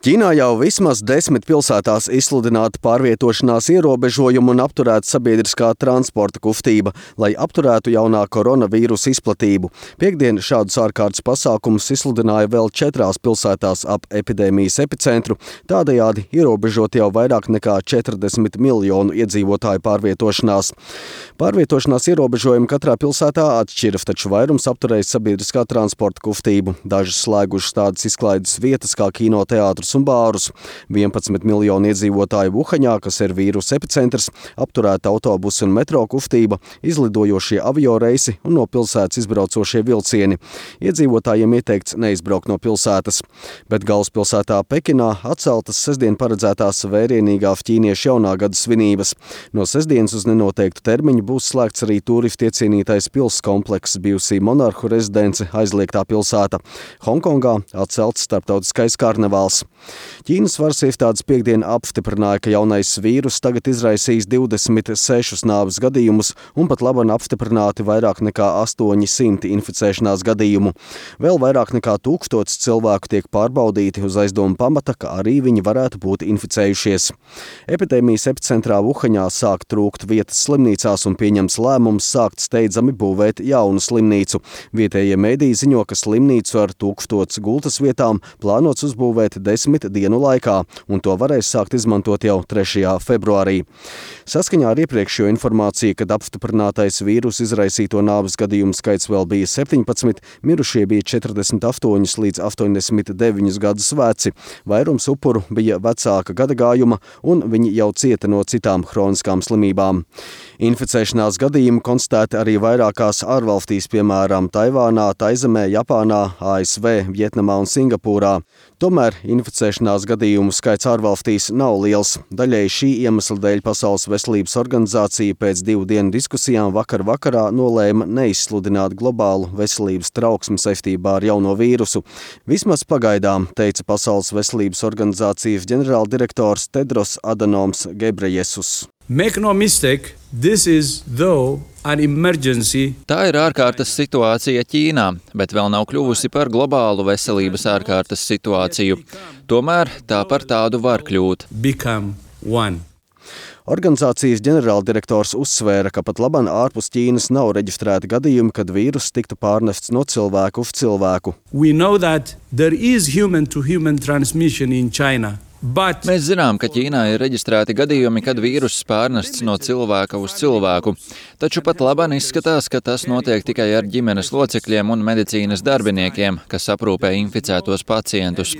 Ķīnā jau vismaz 10 pilsētās izsludināta pārvietošanās ierobežojumu un apturēta sabiedriskā transporta kustība, lai apturētu jaunā koronavīrusa izplatību. Piektdien šādus ārkārtas pasākumus izsludināja vēl 4 pilsētās ap epidēmijas epicentru, tādējādi ierobežot jau vairāk nekā 40 miljonu iedzīvotāju pārvietošanās. Pārvietošanās ierobežojumi katrā pilsētā atšķira, taču vairums apturēja sabiedriskā transporta kustību. Dažas slēgušas tādas izklaides vietas kā kinoteātris un bārus. 11 miljonu iedzīvotāju Vuhaņā, kas ir vīrusa epicentrs, apturēta autobusu un metro kustība, izlidojošie avioreisi un no pilsētas izbraucošie vilcieni. Iedzīvotājiem ieteikts neizbraukt no pilsētas. Bet galvaspilsētā Pekinā atceltas sestdien paredzētās vērienīgā ķīniešu jaunā gada svinības. No sestdienas uz nenoteiktu termiņu būs slēgts arī turistu iecienītais pils komplekss, bijusī monarhu rezidence aizliegtā pilsēta. Hongkongā atcelts starptautiskais karnevāls. Ķīnas varas iestādes piektdien apstiprināja, ka jaunais vīrus tagad izraisījis 26 nāves gadījumus un pat laban apstiprināti vairāk nekā 800 inficēšanās gadījumu. Vēl vairāk nekā 1000 cilvēku tiek pārbaudīti uz aizdomu pamata, ka arī viņi varētu būt inficējušies. Epidēmijas epicentrā Vuhaņā sāk trūkt vietas slimnīcās un pieņems lēmums sākt steidzami būvēt jaunu slimnīcu. Vietējie mediji ziņo, ka slimnīcu ar 1000 gultas vietām plānots uzbūvēt 10 dienu laikā, un to varēs sākt izmantot jau 3. februārī. Saskaņā ar iepriekšējo informāciju, kad apstiprinātais vīrusu izraisīto nāves gadījumu skaits vēl bija 17, mirušie bija 48 līdz 89 gadus veci. Vairums upuru bija vecāka gadagājuma, un viņi jau cieta no citām hroniskām slimībām. Inficēšanās gadījumi konstatēti arī vairākās ārvalstīs, piemēram, Taivānā, Taizemē, Japānā, ASV, Vietnamā un Singapūrā. Tomēr inficēšanās gadījumu skaits ārvalstīs nav liels. Daļēji šī iemesla dēļ Pasaules veselības organizācija pēc 2 dienu diskusijām vakarā nolēma neizsludināt globālu veselības trauksmi saistībā ar jauno vīrusu. Vismaz pagaidām, teica Pasaules veselības organizācijas ģenerāldirektors Tedros Adhanoms Ghebreyesus. Make no mistake, this is though an emergency. Tā ir ārkārtas situācija Ķīnā, bet vēl nav kļuvusi par globālu veselības ārkārtas situāciju. Tomēr tā par tādu var kļūt. Become one. Organizācijas ģenerāldirektors uzsvēra, ka pat labāk ārpus Ķīnas nav reģistrēti gadījumi, kad vīruss tiktu pārnests no cilvēku uz cilvēku. We know that there is human-to-human transmission in China. Mēs zinām, ka Ķīnā ir reģistrēti gadījumi, kad vīruss pārnests no cilvēka uz cilvēku. Taču pat labāk izskatās, ka tas notiek tikai ar ģimenes locekļiem un medicīnas darbiniekiem, kas aprūpē inficētos pacientus.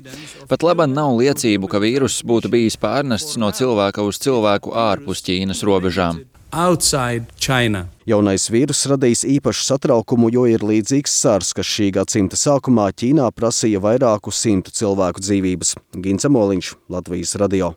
Pat labāk nav liecību, ka vīruss būtu bijis pārnests no cilvēka uz cilvēku ārpus Ķīnas robežām. Outside China. Jaunais vīruss radīs īpašu satraukumu, jo ir līdzīgs SARS, kas šī gadsimta sākumā Ķīnā prasīja vairāku 100 cilvēku dzīvības. Gins Amoliņš, Latvijas radio.